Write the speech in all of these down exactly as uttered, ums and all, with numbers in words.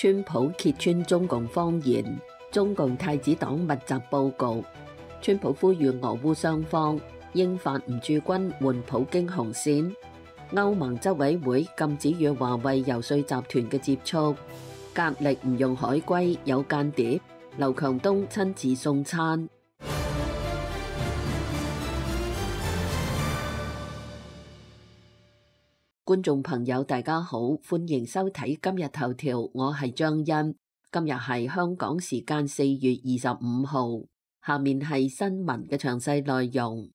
川普揭穿中共謊言，中共太子黨密集報告。川普呼籲俄烏雙方應法唔駐軍換普京紅線。歐盟執委會禁止與華為遊說集團嘅接觸。格力唔用海龜，有間諜。劉強東親自送餐。觀眾朋友大家好，歡迎收睇今日頭條，我係張欣。今日係香港時間四月二十五號，下面係新聞嘅詳細內容。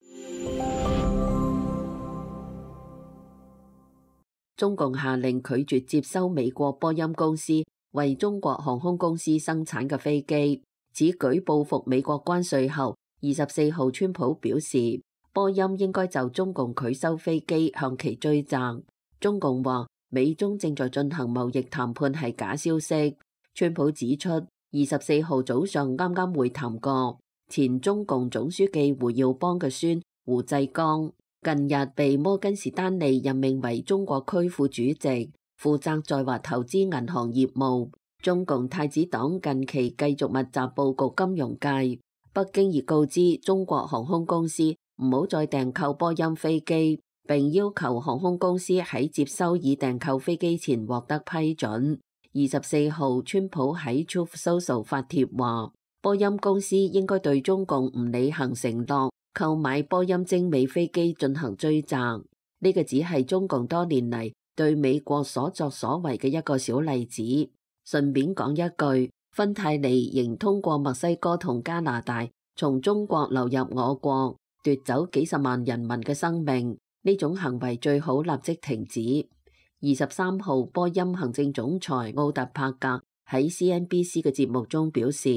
中共下令拒絕接收美國波音公司為中國航空公司生產嘅飛機，此舉報復美國關稅後，二十四號川普表示，波音應該就中共拒收飛機向其追責。中共話美中正在進行貿易談判係假消息。川普指出，二十四號早上啱啱會談過前中共總書記胡耀邦嘅孫胡濟綱，近日被摩根士丹利任命為中國區副主席，負責在華投資銀行業務。中共太子黨近期繼續密集佈局金融界，北京已告知中國航空公司唔好再訂購波音飛機，並要求航空公司喺接收已訂購飛機前獲得批准。二十四號，川普喺 Truth Social 發帖話，波音公司應該對中共唔履行承諾購買波音精美飛機進行追責。呢個只係中共多年嚟對美國所作所為嘅一個小例子。順便講一句，芬太尼仍通過墨西哥同加拿大從中國流入我國，奪走幾十萬人民嘅生命。呢種行為最好立即停止。二十三號，波音行政總裁奧特帕格喺 C N B C 嘅節目中表示，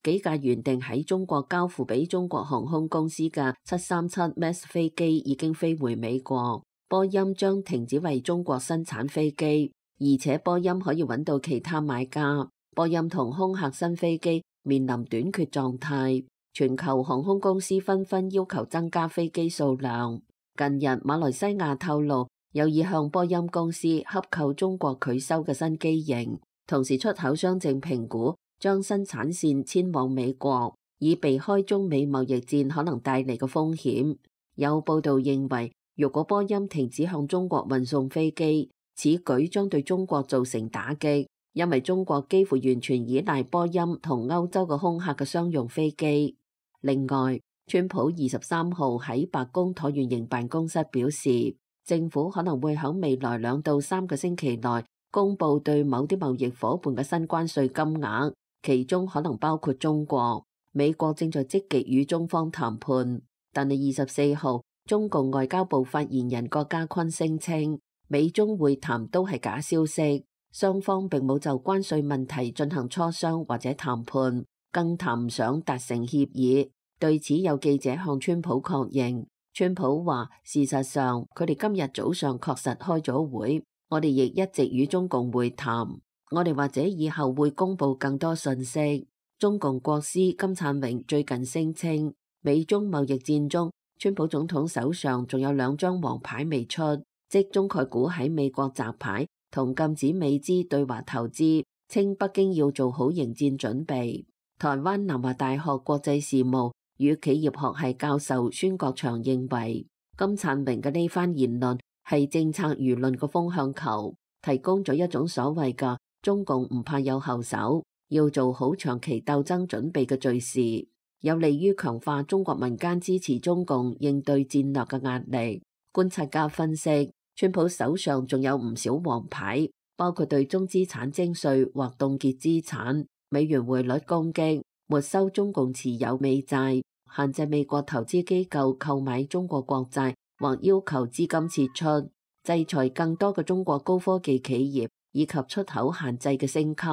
幾架原定喺中國交付俾中國航空公司嘅七三七 Max 飛機已經飛回美國，波音將停止為中國生產飛機，而且波音可以揾到其他買家。波音同空客新飛機面臨短缺狀態，全球航空公司紛紛要求增加飛機數量。近日，馬來西亞透露有意向波音公司洽購中國拒收嘅新機型，同時出口商正評估將生產線遷往美國，以避開中美貿易戰可能帶嚟嘅風險。有報道認為，如果波音停止向中國運送飛機，此舉將對中國造成打擊，因為中國幾乎完全依賴波音同歐洲嘅空客嘅商用飛機。另外，川普二十三號喺白宮橢圓形辦公室表示，政府可能會喺未來兩到三個星期內公布對某啲貿易夥伴嘅新關稅金額，其中可能包括中國。美國正在積極與中方談判，但係二十四號，中共外交部發言人郭家坤聲稱，美中會談都係假消息，雙方並冇就關稅問題進行磋商或者談判，更談唔上達成協議。對此，有記者向川普確認，川普話，事實上佢哋今日早上確實開咗會，我哋亦一直與中共會談，我哋或者以後會公布更多信息。中共國師金燦榮最近聲稱，美中貿易戰中，川普總統手上仲有兩張黃牌未出，即中概股喺美國摘牌同禁止美資對華投資，稱北京要做好迎戰準備。台灣南華大學國際事務與企業學系教授孫國祥認為，金燦榮嘅呢番言論係政策輿論嘅風向球，提供咗一種所謂嘅中共唔怕有後手，要做好長期鬥爭準備嘅敘事，有利於強化中國民間支持中共應對戰略嘅壓力。觀察家分析，川普手上仲有唔少黃牌，包括對中資產徵稅或凍結資產、美元匯率攻擊、沒收中共持有美債、限制美國投資機構購買中國國債或要求資金撤出、制裁更多嘅中國高科技企業以及出口限制嘅升級，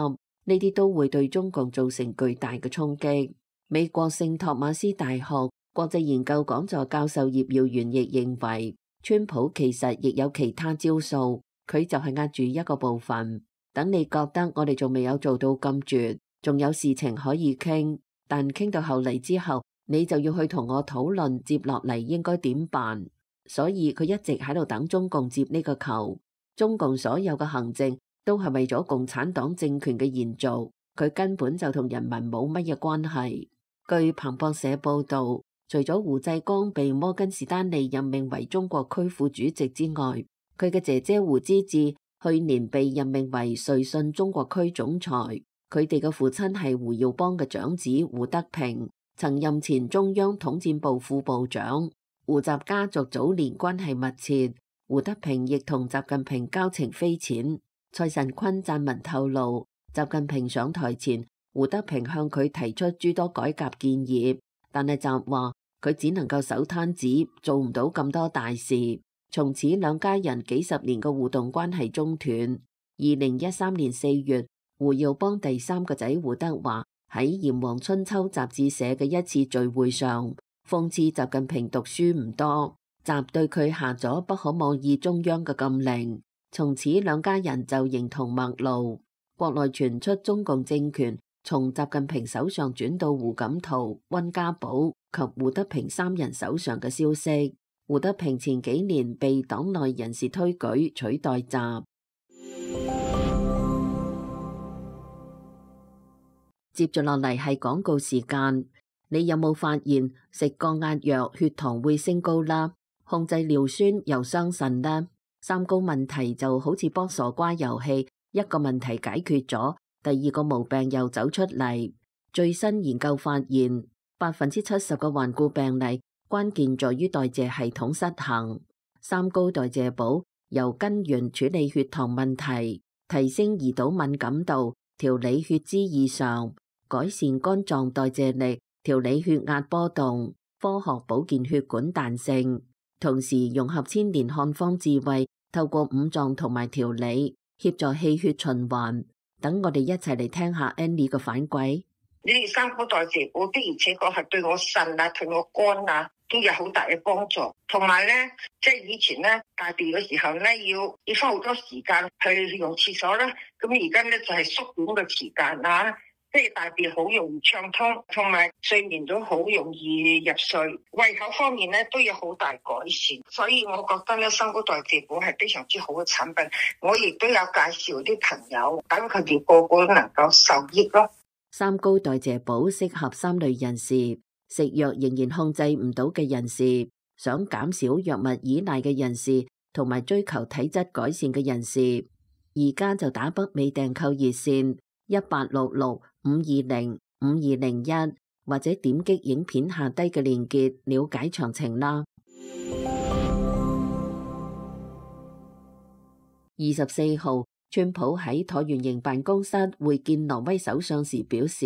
呢啲都會對中共造成巨大嘅衝擊。美國聖托馬斯大學國際研究講座教授葉耀元亦認為，川普其實亦有其他招數，佢就係壓住一個部分，等你覺得我哋仲未有做到咁絕，仲有事情可以傾，但傾到後嚟之後，你就要去同我討論接落嚟應該點辦。所以佢一直喺度等中共接呢個球。中共所有嘅行政都係為咗共產黨政權嘅延續，佢根本就同人民冇乜嘢關係。據彭博社報導，除咗胡志光被摩根士丹利任命為中國區副主席之外，佢嘅姐姐胡芝志去年被任命為瑞信中國區總裁。佢哋嘅父親係胡耀邦嘅長子胡德平，曾任前中央統戰部副部長。胡習家族早年關係密切，胡德平亦同習近平交情匪淺。蔡慎坤撰文透露，習近平上台前，胡德平向佢提出諸多改革建議，但係習話佢只能夠守攤子，做唔到咁多大事。從此兩家人幾十年嘅互動關係中斷。二零一三年四月，胡耀邦第三個仔胡德華喺《炎黃春秋》雜誌社嘅一次聚會上，諷刺習近平讀書唔多，習對佢下咗不可妄議中央嘅禁令。從此兩家人就形同陌路。國內傳出中共政權從習近平手上轉到胡錦濤、溫家寶及胡德平三人手上嘅消息。胡德平前幾年被黨內人士推舉取代習。接住落嚟係廣告時間。你有冇發現食降壓藥血糖會升高啦？控制尿酸又傷腎啦？三高問題就好似卜傻瓜遊戲，一個問題解決咗，第二個毛病又走出嚟。最新研究發現，百分之七十嘅患故病例關鍵在於代謝系統失衡。三高代謝補由根源處理血糖問題，提升胰島敏感度，調理血脂異常，改善肝臟代謝力，調理血壓波動，科學保健血管彈性，同時融合千年漢方智慧，透過五臟同埋調理，協助氣血循環。等我哋一齊嚟聽下 Annie 嘅反饋。呢啲三高代謝補的而且確係對我腎啊、對我肝啊都有好大嘅幫助。同埋咧，即係以前咧大便嘅時候咧，要要花好多時間去用廁所啦。咁而家咧就係縮短嘅時間啊。即係大便好容易暢通，同埋睡眠都好容易入睡，胃口方面咧都有好大改善，所以我覺得咧三高代謝補係非常之好嘅產品。我亦都有介紹啲朋友，等佢哋個個都能夠受益咯。三高代謝補適合三類人士：食藥仍然控制唔到嘅人士，想減少藥物依賴嘅人士，同埋追求體質改善嘅人士。而家就打北美訂購熱線一八六六五二零五二零一，或者點擊影片下低嘅鏈接了解詳情啦。二十四號，川普喺橢圓形辦公室會見挪威首相時表示，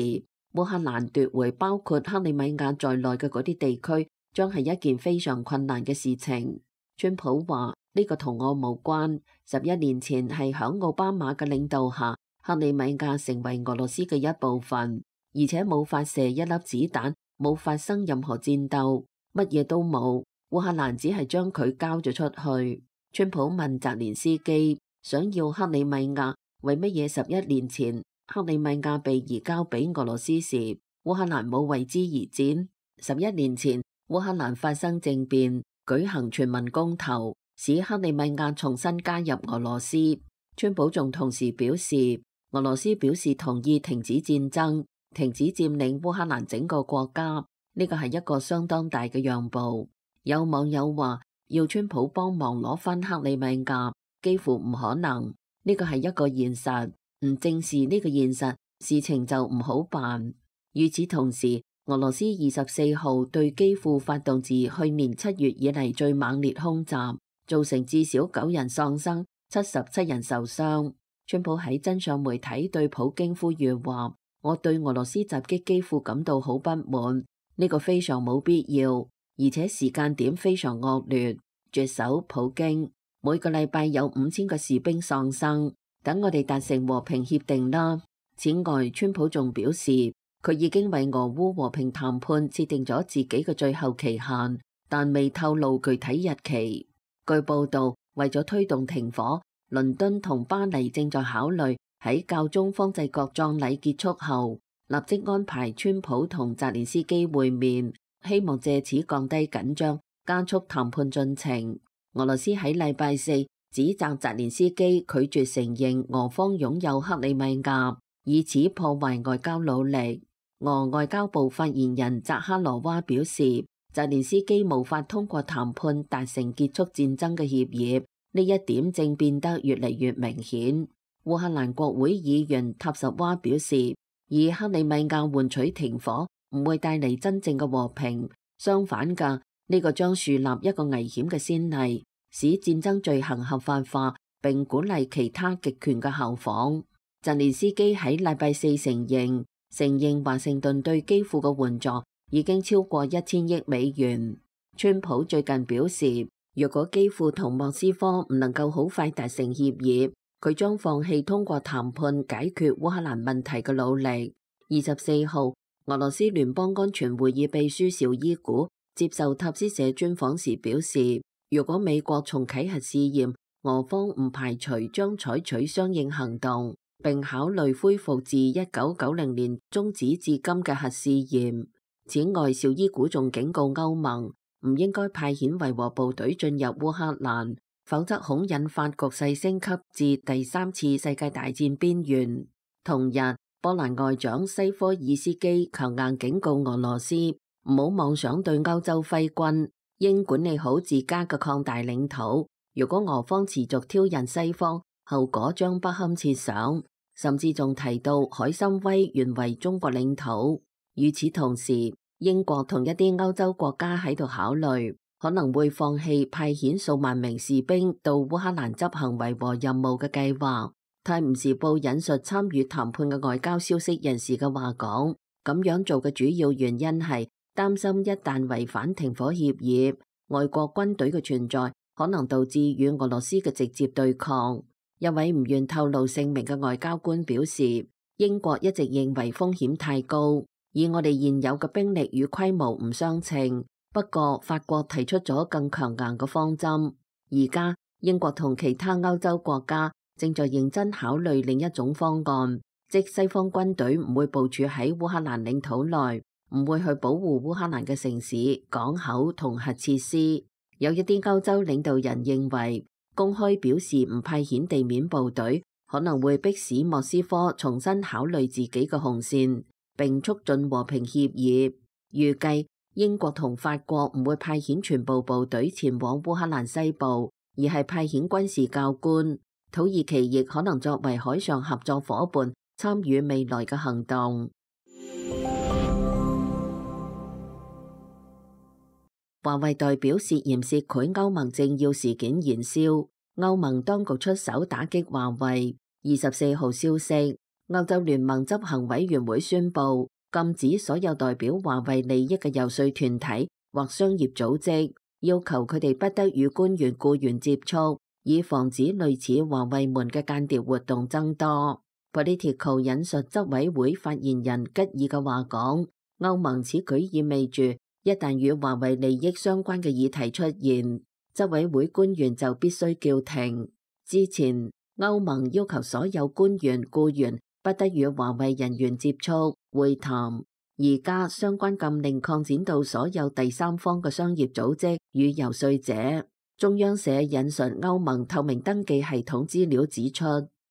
烏克蘭奪回包括克里米亞在內嘅嗰啲地區，將係一件非常困難嘅事情。川普話呢個同我無關，十一年前係響奧巴馬嘅領導下，克里米亞成為俄羅斯嘅一部分，而且冇發射一粒子彈，冇發生任何戰鬥，乜嘢都冇。烏克蘭只係將佢交咗出去。川普問澤連斯基想要克里米亞，為乜嘢十一年前克里米亞被移交俾俄羅斯時，烏克蘭冇為之而戰？十一年前烏克蘭發生政變，舉行全民公投，使克里米亞重新加入俄羅斯。川普仲同時表示，俄羅斯表示同意停止戰爭，停止佔領烏克蘭整個國家，呢個係一個相當大嘅讓步。有網友話要川普幫忙攞返克里米亞，幾乎唔可能，呢個係一個現實，唔正視呢個現實，事情就唔好辦。與此同時，俄羅斯二十四號對基輔發動自去年七月以嚟最猛烈空襲，造成至少九人喪生，七十七人受傷。川普喺真相媒體對普京呼籲話：我對俄羅斯襲擊基輔感到好不滿，呢個非常冇必要，而且時間點非常惡劣。絕手普京，每個禮拜有五千個士兵喪生，等我哋達成和平協定啦。此外，川普仲表示，佢已經為俄烏和平談判設定咗自己嘅最後期限，但未透露具體日期。據報道，為咗推動停火，倫敦同巴黎正在考慮喺教宗方濟各葬禮結束後，立即安排川普同澤連斯基會面，希望借此降低緊張，加速談判進程。俄羅斯喺禮拜四指責澤連斯基拒絕承認俄方擁有克里米亞，以此破壞外交努力。俄外交部發言人扎哈羅娃表示，澤連斯基無法通過談判達成結束戰爭嘅協議，呢一點正變得越嚟越明顯。烏克蘭國會議員塔什娃表示，以克里米亞換取停火唔會帶嚟真正嘅和平，相反嘅，呢個將樹立一個危險嘅先例，使戰爭罪行合法化，並鼓勵其他極權嘅效仿。澤連斯基喺禮拜四承認，承認華盛頓對基輔嘅援助已經超過一千億美元。川普最近表示，若果基輔同莫斯科唔能夠好快達成協議，佢將放棄通過談判解決烏克蘭問題嘅努力。二十四號，俄羅斯聯邦安全會議秘書紹伊古接受塔斯社專訪時表示，如果美國重啟核試驗，俄方唔排除將採取相應行動，並考慮恢復自一九九零年終止至今嘅核試驗。此外，紹伊古仲警告歐盟唔應該派遣維和部隊進入烏克蘭，否則恐引發局勢升級至第三次世界大戰邊緣。同日，波蘭外長西科爾斯基強硬警告俄羅斯唔好妄想對歐洲揮軍，應管理好自家嘅擴大領土。如果俄方持續挑釁西方，後果將不堪設想。甚至仲提到海參崴原為中國領土。與此同時，英國同一啲歐洲國家喺度考慮，可能會放棄派遣數萬名士兵到烏克蘭執行維和任務嘅計劃。泰晤士報引述參與談判嘅外交消息人士嘅話講，咁樣做嘅主要原因係擔心一旦違反停火協議，外國軍隊嘅存在可能導致與俄羅斯嘅直接對抗。一位唔願透露姓名嘅外交官表示，英國一直認為風險太高，以我哋現有嘅兵力與規模唔相稱。不過法國提出咗更強硬嘅方針。而家英國同其他歐洲國家正在認真考慮另一種方案，即西方軍隊唔會部署喺烏克蘭領土內，唔會去保護烏克蘭嘅城市、港口同核設施。有一啲歐洲領導人認為，公開表示唔派遣地面部隊，可能會迫使莫斯科重新考慮自己嘅紅線，並促進和平協議。預計英國同法國唔會派遣全部部隊前往烏克蘭西部，而係派遣軍事教官。土耳其亦可能作為海上合作夥伴，參與未來嘅行動。華為代表涉嫌涉賄歐盟政要事件延燒，歐盟當局出手打擊華為。二十四號消息，歐洲聯盟執行委員會宣布禁止所有代表華為利益嘅游說團體或商業組織，要求佢哋不得與官員僱員接觸，以防止類似華為門嘅間諜活動增多。Politico 引述執委會發言人吉爾嘅話講，歐盟此舉意味住，一旦與華為利益相關嘅議題出現，執委會官員就必須叫停。之前，歐盟要求所有官員僱員不得與華為人員接觸會談，而家相關禁令擴展到所有第三方嘅商業組織與游說者。中央社引述歐盟透明登記系統資料指出，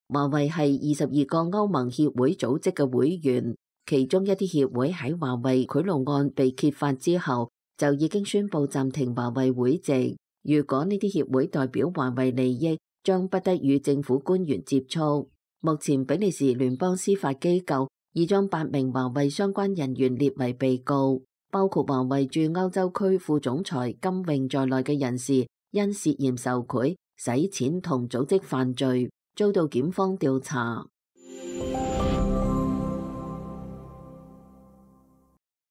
華為係二十二個歐盟協會組織嘅會員。其中一啲協會喺華為賄賂案被揭發之後，就已經宣布暫停華為會籍。如果呢啲協會代表華為利益，將不得與政府官員接觸。目前比利時聯邦司法機構已將八名華為相關人員列為被告，包括華為駐歐洲區副總裁金泳在內嘅人士，因涉嫌受賄、洗錢同組織犯罪，遭到檢方調查。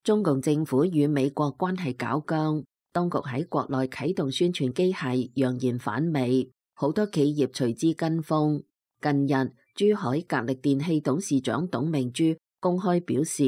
中共政府與美國關係搞僵，當局喺國內啟動宣傳機械，揚言反美，好多企業隨之跟風。近日，珠海格力電器董事長董明珠公開表示，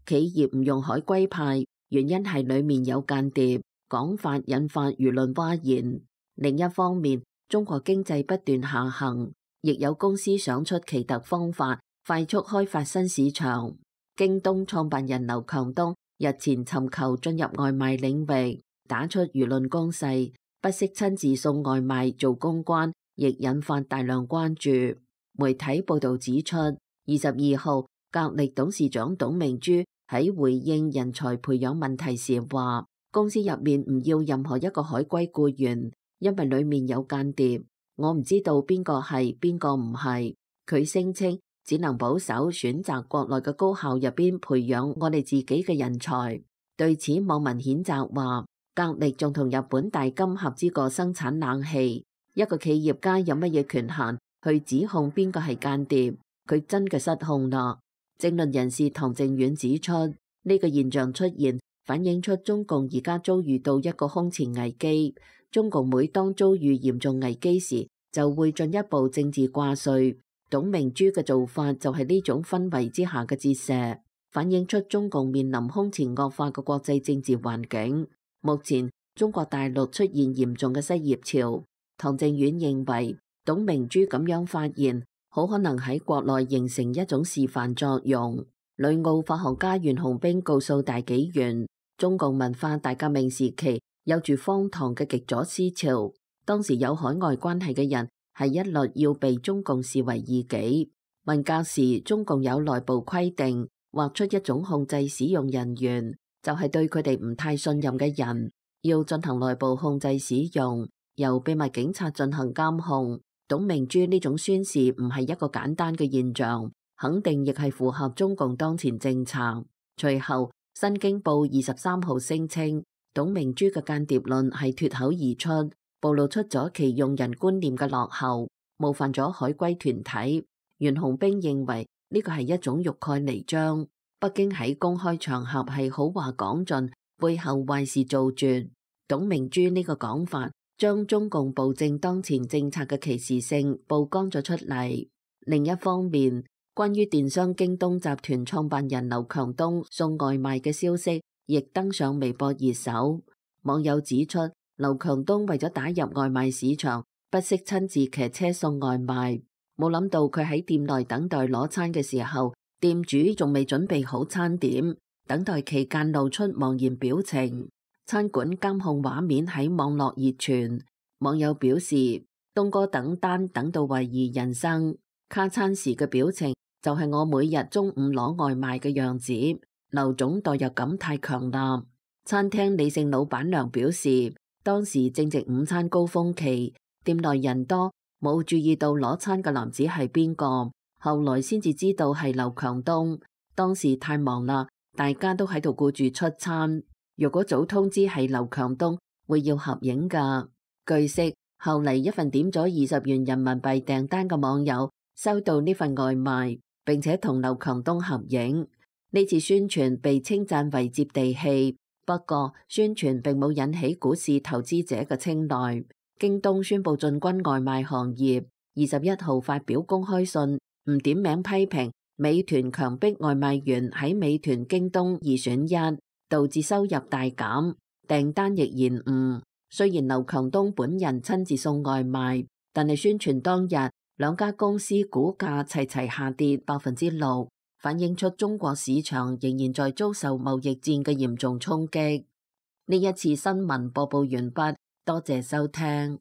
企業唔用海歸派，原因係裡面有間諜，講法引發輿論譁然。另一方面，中國經濟不斷下行，亦有公司想出奇特方法，快速開發新市場。京東創辦人劉強東日前尋求進入外賣領域，打出輿論攻勢，不惜親自送外賣做公關，亦引發大量關注。媒體報導指出，二十二號格力董事長董明珠喺回應人才培養問題時話，公司入面唔要任何一個海歸僱員，因為裡面有間諜，我唔知道邊個係邊個唔係。佢聲稱只能保守選擇國內嘅高校入邊培養我哋自己嘅人才。對此，網民譴責話，格力仲同日本大金合資過生產冷氣，一個企業家有乜嘢權限去指控邊個係間諜？佢真嘅失控啦！政論人士唐靖遠指出，呢、這個現象出現反映出中共而家遭遇到一個空前危機。中共每當遭遇嚴重危機時，就會進一步政治掛帥。董明珠嘅做法就係呢種氛圍之下嘅折射，反映出中共面臨空前惡化嘅國際政治環境。目前中國大陸出現嚴重嘅失業潮，唐靖遠認為董明珠咁樣發言，好可能喺國內形成一種示範作用。旅澳法學家袁洪兵告訴大紀元，中共文化大革命時期有住荒唐嘅極左思潮，當時有海外關係嘅人係一律要被中共視為異己。文革時，中共有內部規定，劃出一種控制使用人員，就係對佢哋唔太信任嘅人，要進行內部控制使用，由秘密警察進行監控。董明珠呢種宣示唔係一個簡單嘅現象，肯定亦係符合中共當前政策。隨後，《新京報》二十三號聲稱，董明珠嘅間諜論係脫口而出，暴露出咗其用人觀念嘅落後，冒犯咗海歸團體。袁洪兵認為呢個係一種欲蓋彌彰，北京喺公開場合係好話講盡，背後壞事做絕。董明珠呢個講法將中共暴政當前政策嘅歧視性曝光咗出嚟。另一方面，關於電商京東集團創辦人劉強東送外賣嘅消息，亦登上微博熱搜。網友指出，劉強東為咗打入外賣市場，不惜親自騎車送外賣。冇諗到佢喺店內等待攞餐嘅時候，店主仲未準備好餐點，等待期間露出茫然表情。餐館監控畫面喺網絡熱傳，網友表示東哥等單等到懷疑人生，卡餐時嘅表情就係我每日中午攞外賣嘅樣子。劉總代入感太強啦。餐廳李姓老闆娘表示，當時正值午餐高峰期，店內人多，冇注意到攞餐嘅男子係邊個，後來先至知道係劉強東。當時太忙啦，大家都喺度顧住出餐。如果早通知係劉強東，會要合影㗎。據悉，後嚟一份點咗二十元人民幣訂單嘅網友收到呢份外賣，並且同劉強東合影。呢次宣傳被稱讚為接地氣，不過宣傳並冇引起股市投資者嘅青睞。京東宣布進軍外賣行業，二十一號發表公開信，唔點名批評美團強迫外賣員喺美團、京東二選一，導致收入大減，訂單亦延誤。雖然劉強東本人親自送外賣，但係宣傳當日兩家公司股價齊齊下跌百分之六，反映出中國市場仍然在遭受貿易戰嘅嚴重衝擊。呢一次新聞播報完畢，多謝收聽。